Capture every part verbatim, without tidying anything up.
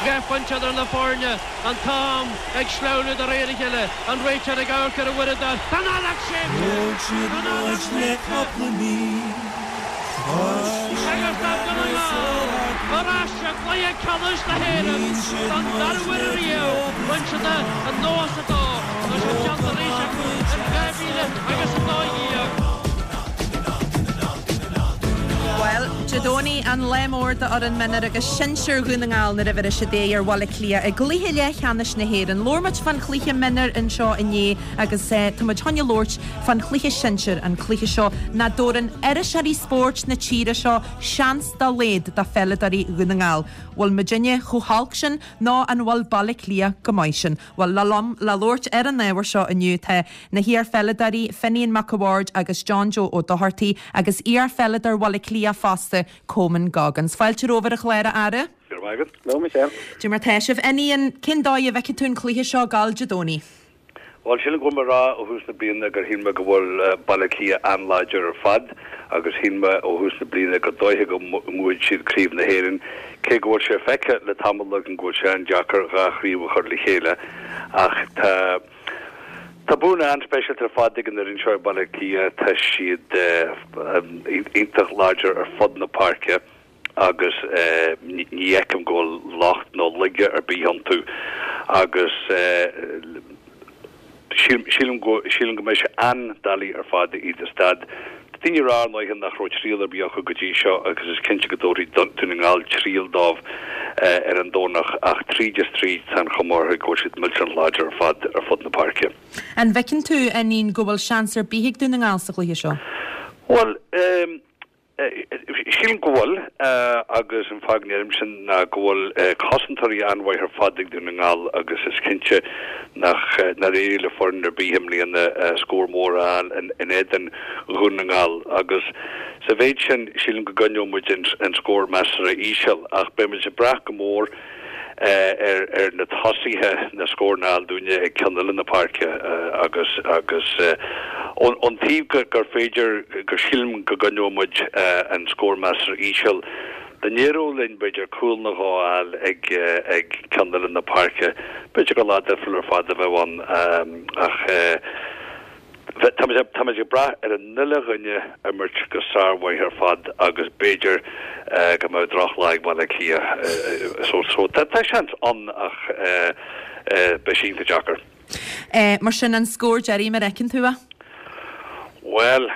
Dhá phointe idir na foirne, an t-am ag sleamhnú de réir a chéile, an réiteoir ag amharc ar a uaireadóir. Tá an fheadóg séidte! Thóg siad Tá an fheadóg muid le séidte! cúpla mí. Agus tá Dún na nGall ar ais i gcluiche ceannais na hÉireann don dara huair riamh. Bhain siad é i nócha a dó, tá sé déanta arís acu in dhá mhíle agus a dó dhéag. Bhuel, Dé Domhnaigh an lá mór d'fhoireann mionúir agus sinsir Dhún na nGall nuair a bhéas siad aghaidh ar Bhaile Átha Cliath i gcluiche leathcheannais na hÉireann. Labhair muid fán chluiche mionúir anseo inné agus eh, tá muid chun labhairt fán chluiche sinsir an cluiche seo nach dtabharann iriseoirí spóirt na tíre seo seans dá laghad do pheileadóirí Dhún na nGall. Bhfuil muidinne chomh holc sin nó an bhfuil Baile Átha Cliath go maith sin. Bhuel le liom le labhairt ar an ábhar seo inniu tá na hiarpheileadóirí Finian Mac a' Bhaird agus John Joe Ó Dochartaigh agus iarpheileadóir Bhaile Átha Cliath fosta Coman Goggins. Fáilte romhaibh a chlár a fheara? No Michelle. Dé mar tá sibh Finian cén dóigh a bhfeiceann tú an cluiche seo ag gabháil Dé Domhnaigh. Well sílim go rá ó thús na bliana gur shíl mé go bhfuil Baile Átha Cliath an-láidir ar fad agus shíl mé ó thús na bliana go dóiche go mbuafaidh siad craobh na hÉireann cé go bhfuil sé feicthe le tamall go bhfuil sé an-deacair dhá chraobh a chur le chéile ach tá Tá buanna an-speisialta ar fad ag an fhoireann seo Baile Átha Cliath tá siad iontach láidir ar fud na páirce agus ní fheicim go bhfuil locht nó laige ar bith iontu agus sílim go sílim go mbeidh sé an-doiligh ar fad iad a stad. Daoine ag rá anois nach raibh triail ar bith acu go dtí seo agus is cinnte go dtabharfaidh Dún na nGall triail dóibh ar an Domhnach ach tríd is tríd tá an chuma orthu go bhfuil siad millteanach láidir ar fad ar fud na páirce. An bhfeiceann tú Finian go bhfuil seans ar bith ag Dún na nGall sa chluiche seo? Well um, Sílim go bhfuil agus an fáth a ndeirim sin ná go bhfuil cosantóirí an-mhaith ar fad ag Dún na nGall agus is cinnte nach nár éirigh le foireann ar bith i mbliana scór mór a fháil in éadan Dhún na nGall agus sa mhéid sin sílim go gcoinneoidh muid an scór measartha íseal ach beimid ag brath go mór ar ar na tosaithe na scór a fháil dúinne ag ceann eile na páirce agus agus ón taobh gur féidir gur sílim go gcoinneoidh muid an scór measartha íseal. Dá n-éireodh linn b'fhéidir cúl nó dhó a fháil ag ag ceann eile na páirce, b'fhéidir gur lá difriúil ar fad a bheadh ann ach Tá ag brath ar an uile dhuine imirt go sármhaith ar fad agus b'fhéidir go mbeadh drochlá ag Baile Átha Cliath so so tá seans ann ach beidh sé iontach deacair. Mar sin an scór deiridh mar a fheiceann tú é? Well,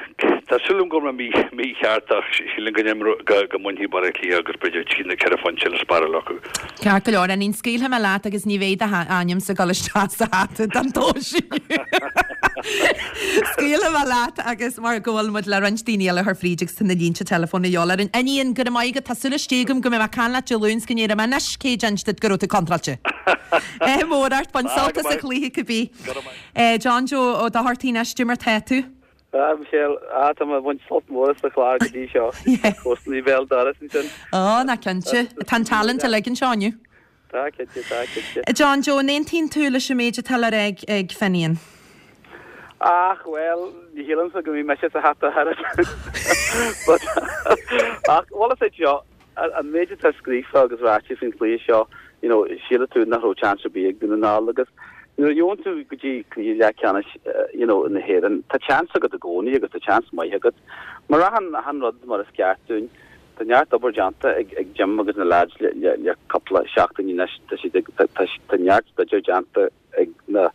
tá súil agam go mbeidh mé mícheart ach sílim go go go mbainfidh Baile Átha Cliath agus b'fhéidir trí nó ceithre phointe le spáráil acu. Ceart go leor Finian scaoilfidh mé leat agus ní bheidh d'ainmse ag dul isteach sa hata don tomhas. Scaoilfidh mé leat agus mar go bhfuil muid le roinnt daoine eile thar fríd agus tá na línte telefóin a dheolar. Finian go raibh maith agat tá súil istigh agam go mbeidh mé ag caint leat Dé Luain go ndéarfaidh mé anois cé d'inis duit go raibh tú contráilte. É mór ort bain sult as an chluiche cibé. John Joe Ó Dochartaigh anois cad é mar tá tú. Ah Michelle ah tá mé ag baint sult mór as an chlár go dtí seo Cosnaí bhéal doras ansin. Á ná cinnte Tá an talent uilig anseo inniu. Tá cinnte tá cinnte. John Joe an aontaíonn tú leis an méid atá le rá ag ag Finian. Ach well ní shílimse go mbeidh mise sa hata thar But ach well is é seo an méid atá scríofa agus ráite faoin chluiche seo you know síleann tú nach raibh chance ar bith ag Dún na nGall agus nuair a gheobhann tú go dtí cluiche leathcheannais you know na hÉireann tá chance agat i gcónaí agus tá chance maith agat. Mar achan achan rud mar is ceart dúinn Tá neart obair déanta ag ag Jim agus na lads le le le cúpla seachtain anois tá siad ag tá tá neart staidéar déanta ag na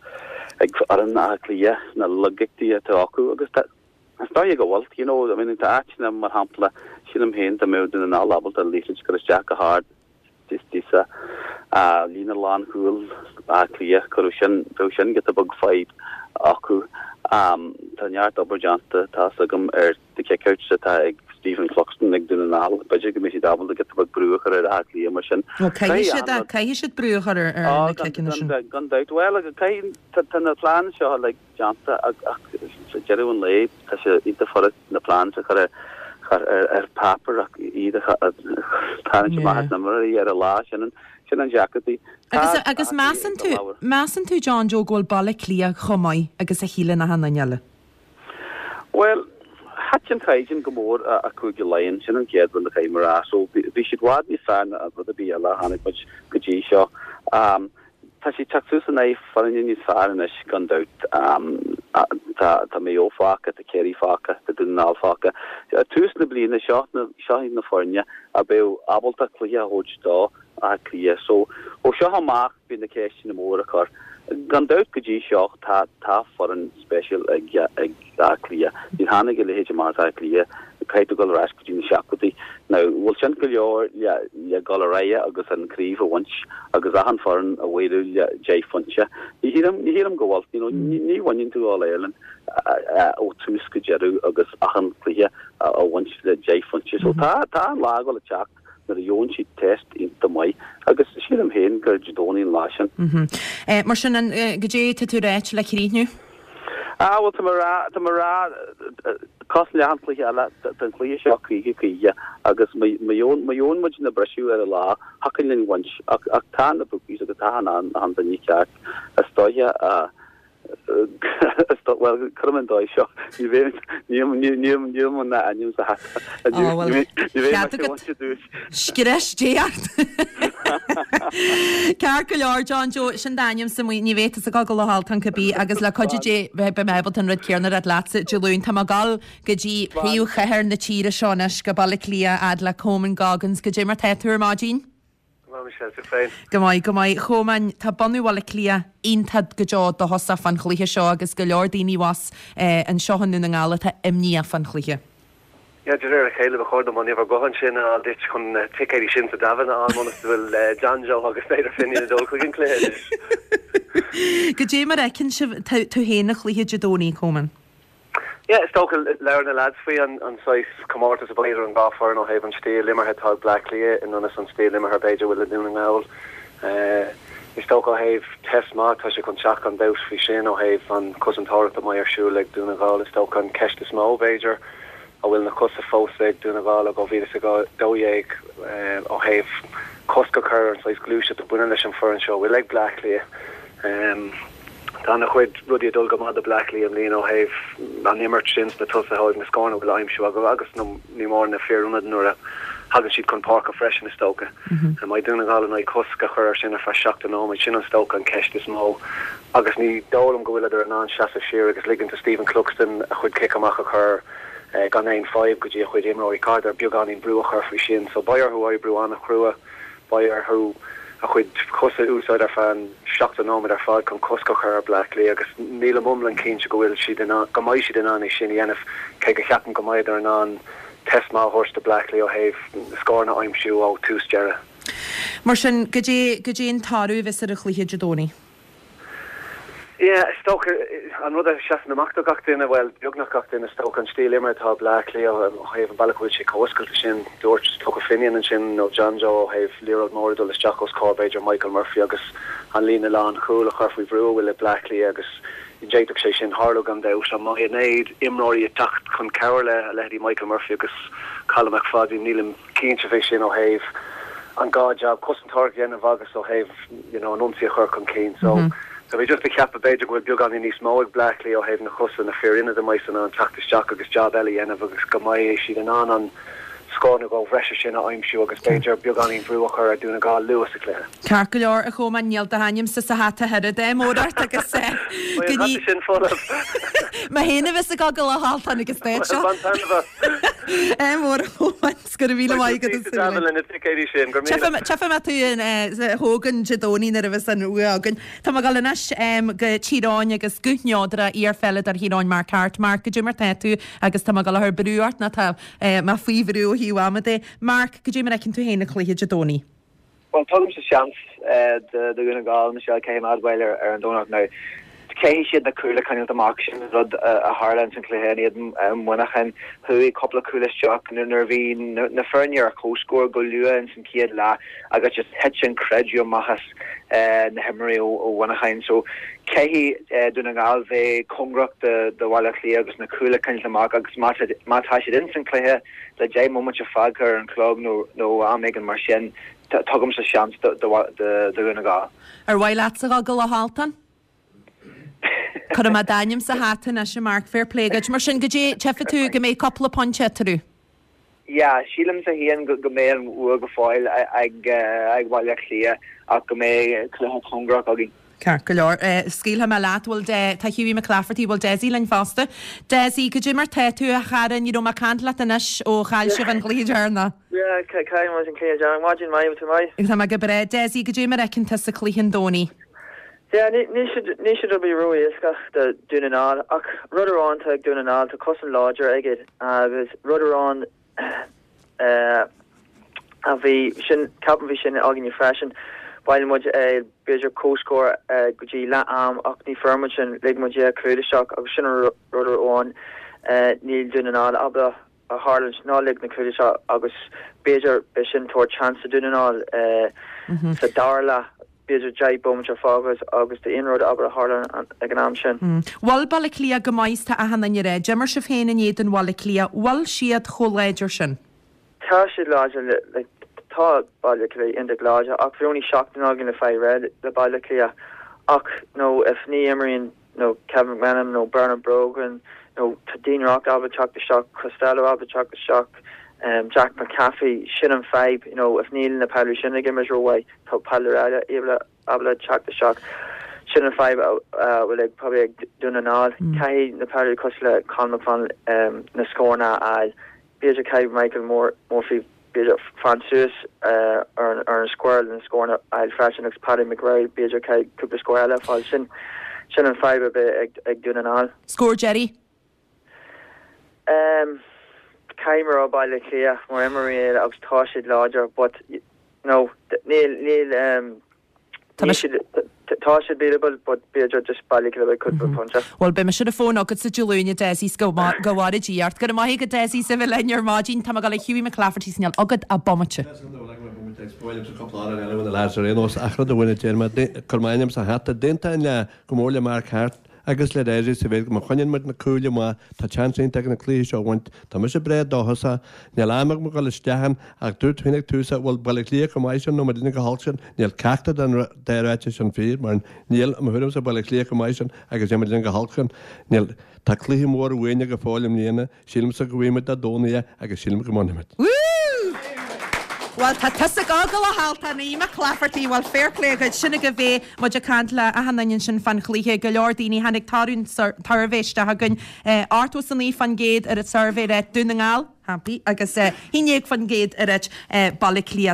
ag foireann Átha Cliath na laigeachtaí atá acu agus tá Is dóigh go bhfuil you know I mean tá áiteanna mar shampla sílim féin dá mbeadh Dún na nGall ábalta liathróid a chur isteach go hard sa líne lánchúil Átha Cliath chuirfeadh sin bheadh sin giota beag fadhb acu tá neart obair déanta tá agam ar the kickouts atá ag Stephen Cluxton ag Dún na nGall b'fhéidir go mbeidh siad ábalta giota beag brú a chur ar Átha Cliath mar sin. Caithfidh siad caithfidh siad brú a chur ar na ciceanna sin. Gan dabht well caithfidh tá na plean seo le déanta ach sa deireadh an lae tá sé iontach furast na plans a chur ar ar páipéar ach iad a tharraingt amach as na imreoirí ar an lá sin sin an deacrachtaí. Agus agus measann tú measann tú John Joe go bhfuil Baile Átha Cliath chomh maith agus a shíleann achan duine eile? Well Thit an caighdeán go mór i Cúige Laighean, sin an chéad rud a chaithfidh mé a rá. So bhí siad i bhfad níos fearr ná rud ar bith eile a chonaic muid go dtí seo. Tá siad teacht suas in aghaidh foirne níos fearr anois gan dabht. Tá tá Maigh Eo fágtha, tá Ciarraí fágtha, tá Dún na nGall fágtha. Tús na bliana seo, seo iad na foirne a bheadh ábalta cluiche a thabhairt do Áth Cliath. So ó seo amach beidh na ceisteanna móra á cur. Gan dabht go dtí seo tá tá foireann speisialta ag ag Áth Cliath. Níor tháinig a leithéid amach as Áth Cliath, caithfidh tú dul ar ais go dtí na seachtóidí. Now bhfuil sin go leor le le dul ar aghaidh agus an craobh a bhaint agus achan foireann a mhaolú le deich phointe? Ní shílim ní shílim go bhfuil. You know ní ní bhaineann tú All Ireland ó tús go deireadh agus achan cluiche a bhaint le deich phointe. So tá tá an lá ag dul a teacht. nuair a gheobhann siad test iontach maith agus sílim féin gur Dé Domhnaigh an lá sin. Mar sin, goidé tá tú ráit le críochnú? Ah, bhuel, tá mé rá, tá mé rá, cosúil le achan cluiche eile, tá an cluiche seo caoga caoga agus má gheobhann, má gheobhann muid na briseadh ar an lá, thiocfadh linn bhaint ach, ach tá na bookies agus tá an, an duine ceart is dóiche a, Bhuel, cuirim an dóigh seo. Ní bheidh, níl, níl, níl, níl mo ainm sa hata. Ní Ó, bhuel, bheidh, ní bheidh cead mé agat bainte dúis. Scrios Dé ort! Ceart go leor, John Joe, sin d'ainmse amuigh, ní bheidh tusa ag dul go Loch Altan cibé agus le cuidiú Dé beidh mé ábalta an rud céanna a rá leatsa Dé Luain. Tá mé ag dul go dtí príomhchathair na tíre seo anois, go Baile Átha Cliath, fhad le Coman Goggins. Goidé mar tá tú ar maidin? Go maith, Michelle, tú féin? Go maith, go maith. A Chomáin, tá bunadh Bhaile Átha Cliath iontach go deo dóchasach fán chluiche seo agus go leor daoine abhus anseo i nDún na nGall atá imníoch fán chluiche. Yeah, de réir a chéile, ba chóir dom an uimhir gutháin sin a fháil duit chun na ticéidí sin sa Davin a fháil ionas go bhfuil John Joe agus b'fhéidir Finian ag dul chuig an chluiche anois. Goidé mar a fheiceann sibh tú féin an chluiche Dé Domhnaigh, Coman? Yeah, is dócha, labhair na lads faoi an saghas comórtas a bheidh idir an dhá foireann ó thaobh an stíl imeartha atá ag Bleá Cliath in ionas an stíl imeartha b'fhéidir a bhfuil ag Dún na nGall. Is dócha ó thaobh test maith, tá sé chun teacht gan dabht faoi sin ó thaobh an chosantóireacht a mbeidh ar siúl ag Dún na nGall. Is dócha an ceist is mó b'fhéidir, an bhfuil na cosa fós ag Dún na nGall ó dhá mhíle is a dó dhéag ó thaobh cosc a chur ar an saghas gluaiseacht a bhaineann leis an foireann seo a bhfuil ag Bleá Cliath. Tá ana-chuid rudaí ag dul go maith do Bleá Cliath i mbliana ó thaobh an imirt sin sna tosaithe, ó thaobh na scóranna a bhfuil á aimsiú acu agus ní mór na fir ionaid nuair a thagann siad chun páirce freisin is dócha. An mbeidh Dún na nGall in ann cosc a chur air sin ar feadh seachtó nóiméad? Sin is dócha an ceist is mó agus ní dóigh liom go bhfuileadar in ann seasamh siar agus ligint do Stephen Cluxton a chuid cic amach a chur gan aon fadhb go dtí a chuid imreoirí. Caithfear beagáinín brú a chur faoi sin so beidh orthu oibriú an-chrua. Beidh orthu a chuid cosa a úsáid ar feadh an seachtó nóiméad ar fad chun cosc a chur ar Bleá Cliath agus nílim iomlán cinnte go bhfuil siad in ann, go mbeidh siad in ann é sin a dhéanamh, cé go cheapaim go mbeidh in ann test maith a thabhairt do Bleá Cliath ó thaobh scóranna a aimsiú ó tús deireadh. Mar sin, goidé, goidé an toradh a bheas ar an chluiche Dé Domhnaigh? Yeah, is dócha, an rud a sheasann amach do gach duine, bhuel, beagnach gach duine, is dócha, an stíl imeartha atá ag Bleá Cliath ó thaobh an bealach a bhfuil sé chomh oscailte sin. Dúirt, is dócha, Finian ansin, nó John Joe ó thaobh liathróid mór ag dul isteach os comhair, b'fhéidir, Michael Murphy agus an líne lánchúil a chur faoi bhrú a bhfuil ag Bleá Cliath agus d'fhéadfadh sé sin tharlú gan dabht. An mbeidh an oiread imreoirí ag teacht chun cabhair le a leithéidí Michael Murphy agus Colm McFadden? Nílim cinnte fé sin ó thaobh an dhá jab, cosantóireacht a dhéanamh agus ó thaobh you know an ionsaí a chur chun cinn. So tá mé just ag ceapadh b'fhéidir go bhfuil beagáinín níos mó ag Bleá Cliath ó thaobh na cosa, na fir ionaid a mbeidh in ann teacht isteach agus jab eile a dhéanamh agus go mbeidh siad in ann an scór nó dhó bhreise sin a aimsiú agus b'fhéidir beagáinín brú a chur ar Dún na nGall luath sa chluiche. Ceart go leor, a Chomáin, níl do hainmse sa hata oiread, ádh mór ort agus Beidh an hata sin folamh. Mé féin a bheas ag gabháil go Loch Altan agus Bhuel, bain taitneamh as. Ádh mór, a Chomáin, 's go raibh míle maith agat as Beidh tú le na ticéidí sin, go raibh míle. Tchífidh mé tú sa Hogan Dé Domhnaigh nuair a bheas an bua againn. Tá mé ag dul anois go Tír Eoghain agus guth neodrach iar-pheileadóir Thír Eoghain Mark Harte. Mark, goidé mar tá tú agus tá mé ag dul a chur brú ort nó tá mé faoi bhrú ó thaobh ama de. Mark, goidé mar a fheiceann tú féin an cluiche Dé Domhnaigh? Bhuel, tugaimse seans do Dhún na nGall, Michelle, caithfidh mé a admháil ar an Domhnach. Now, caithfidh siad na cúil a choinneáilt amach, sin an rud a tharla ins an chluiche in éadan Mhuineacháin. Chuaigh cúpla cúl isteach nuair a bhí na foirne ar comhscór go luath ins an chéad leath agus just thit an creideamh amach as na himreoirí ó Mhuineacháin. So, caithfidh Dún na nGall bheith cóngarach do Bhaile Átha Cliath agus na cúil a choinneáilt amach agus má tá siad ins an chluiche le deich mbomaite fágtha ar an chlog nó am éigin mar sin, Tugaimse seans do Dhún na nGall. Ar mhaith leatsa dhul go Loch Altan? Cuirfidh mé d'ainm sa hata anois, a Mark, fair play duit. Mar sin, goidé, tchífidh tú go mbeidh cúpla pointe eatarthu? Yeah, sílimse féin go mbeidh an bhua go fóill ag Baile Átha Cliath ach go mbeidh cluiche cóngarach againn. Ceart go leor. Scaoilfidh mé leat, bhfuil De, tá Hughie McClafferty, bhfuil Dessie linn fosta. Dessie, goidé mar tá tú, a chara, ní raibh mé ag caint leat anois ó chaill sibh an cluiche deireanach. Yeah, chaill muid an cluiche deireanach. Maidin mhaith, bhfuil tú maith? Tá mé go breá. Dessie, goidé mar a fheiceann tusa cluiche an Domhnaigh? Yeah, níl siad rud ró-éasca do Dún na nGall ach rud amháin tá ag Dún na nGall, tá cosaint láidir aige agus rud amháin a bhí sin, ceapaim bhí sin againne freisin, bhailigh muid b'fhéidir comhscór go dtí leath am ach ní fuair muid sin, lig muid dhá chúl isteach agus sin an rud amháin níl Dún na nGall ábalta a tharlúint ná lig na cúil isteach agus b'fhéidir b'é sin tabhairt chance do Dún na nGall sa dara leath. b'fhéidir deich bomaite fágtha agus tá aon rud ábalta tharlú ag an am sin. Bhfuil Baile Átha Cliath go maith is tá achan duine ag rá. D'imir sibh féin in éadan Bhaile Átha Cliath. Bhfuil siad chomh láidir sin? Tá siad láidir, like, tá Baile Átha Cliath iontach láidir ach bhí only seachtain againn le fáil réidh le Baile Átha Cliath ach nó if ní imríonn nó Kevin McManamon nó Bernard Brogan nó tá Dean Rock ábalta teacht isteach, Costello ábalta teacht isteach, um, Jack McCaffrey, sin an fadhb, you know, if níl na peileadóirí sin ag imirt rómhaith, tá peileadóir eile ábalta teacht isteach. Sin an fadhb a bhfuil ag probably ag Dún na nGall. Caithfidh na peileadóirí cosúil le Conor McFarlane um, na scóranna a fháil. B'fhéidir caithfidh Michael Moore Murphy b'fhéidir fan suas uh, ar, an- ar an square na scóranna a fháil freisin agus Paddy McGrath b'fhéidir caithfidh cúpla scór eile a fháil. Sin sin an fadhb a bheidh ag, ag Dún na nGall. Scór deiridh? Um, Caithfidh mé rá Baile Átha Cliath mar imreoirí agus tá siad láidir, but no, níl níl um, Tá níl siad tá siad beatable, but b'fhéidir just Baile Átha Cliath cúpla pointe. Bhuel beidh mise ar an fón agat sa Dé Luain a Dessie go go bhfóire Dia ort. Go raibh maith agat Dessie as a bheith linn ar maidin tá mé ag dul le Hughie McClafferty níl agat ach bomaite. Ach rud amháin a deir mé cuir m'ainm sa hata d'aontóinn le go mór le Mark Harte agus le Dessie sa mhéid go má choinníonn muid na cúil amach tá seans iontach na cluiche seo a bhaint Tá mise breá dóchasach níl am agam dul isteach ann ach dúirt féin ag tús bhfuil Baile Átha Cliath chomh maith sin nó muid go holc sin níl ceachtar den dá ráiteas sin fíor mar níl mo thuairimse Baile Átha Cliath chomh maith sin agus níl muid go holc sin níl tá cluiche mór uainne go fóill i mbliana sílimse go bhfuimid a dónaí agus sílim go mbainfimid. Woo! Well tá tusa go go halta ní McClafferty well fair play go sinna go bhé muid ag caint le achan duine sin fan chluiche go leor daoine tháinig tarún suirbhé isteach againn ochtó is a naoi faoin gcéad ar an suirbhé le Dún na nGall happy agus haon déag faoin gcéad ar Baile Átha Cliath.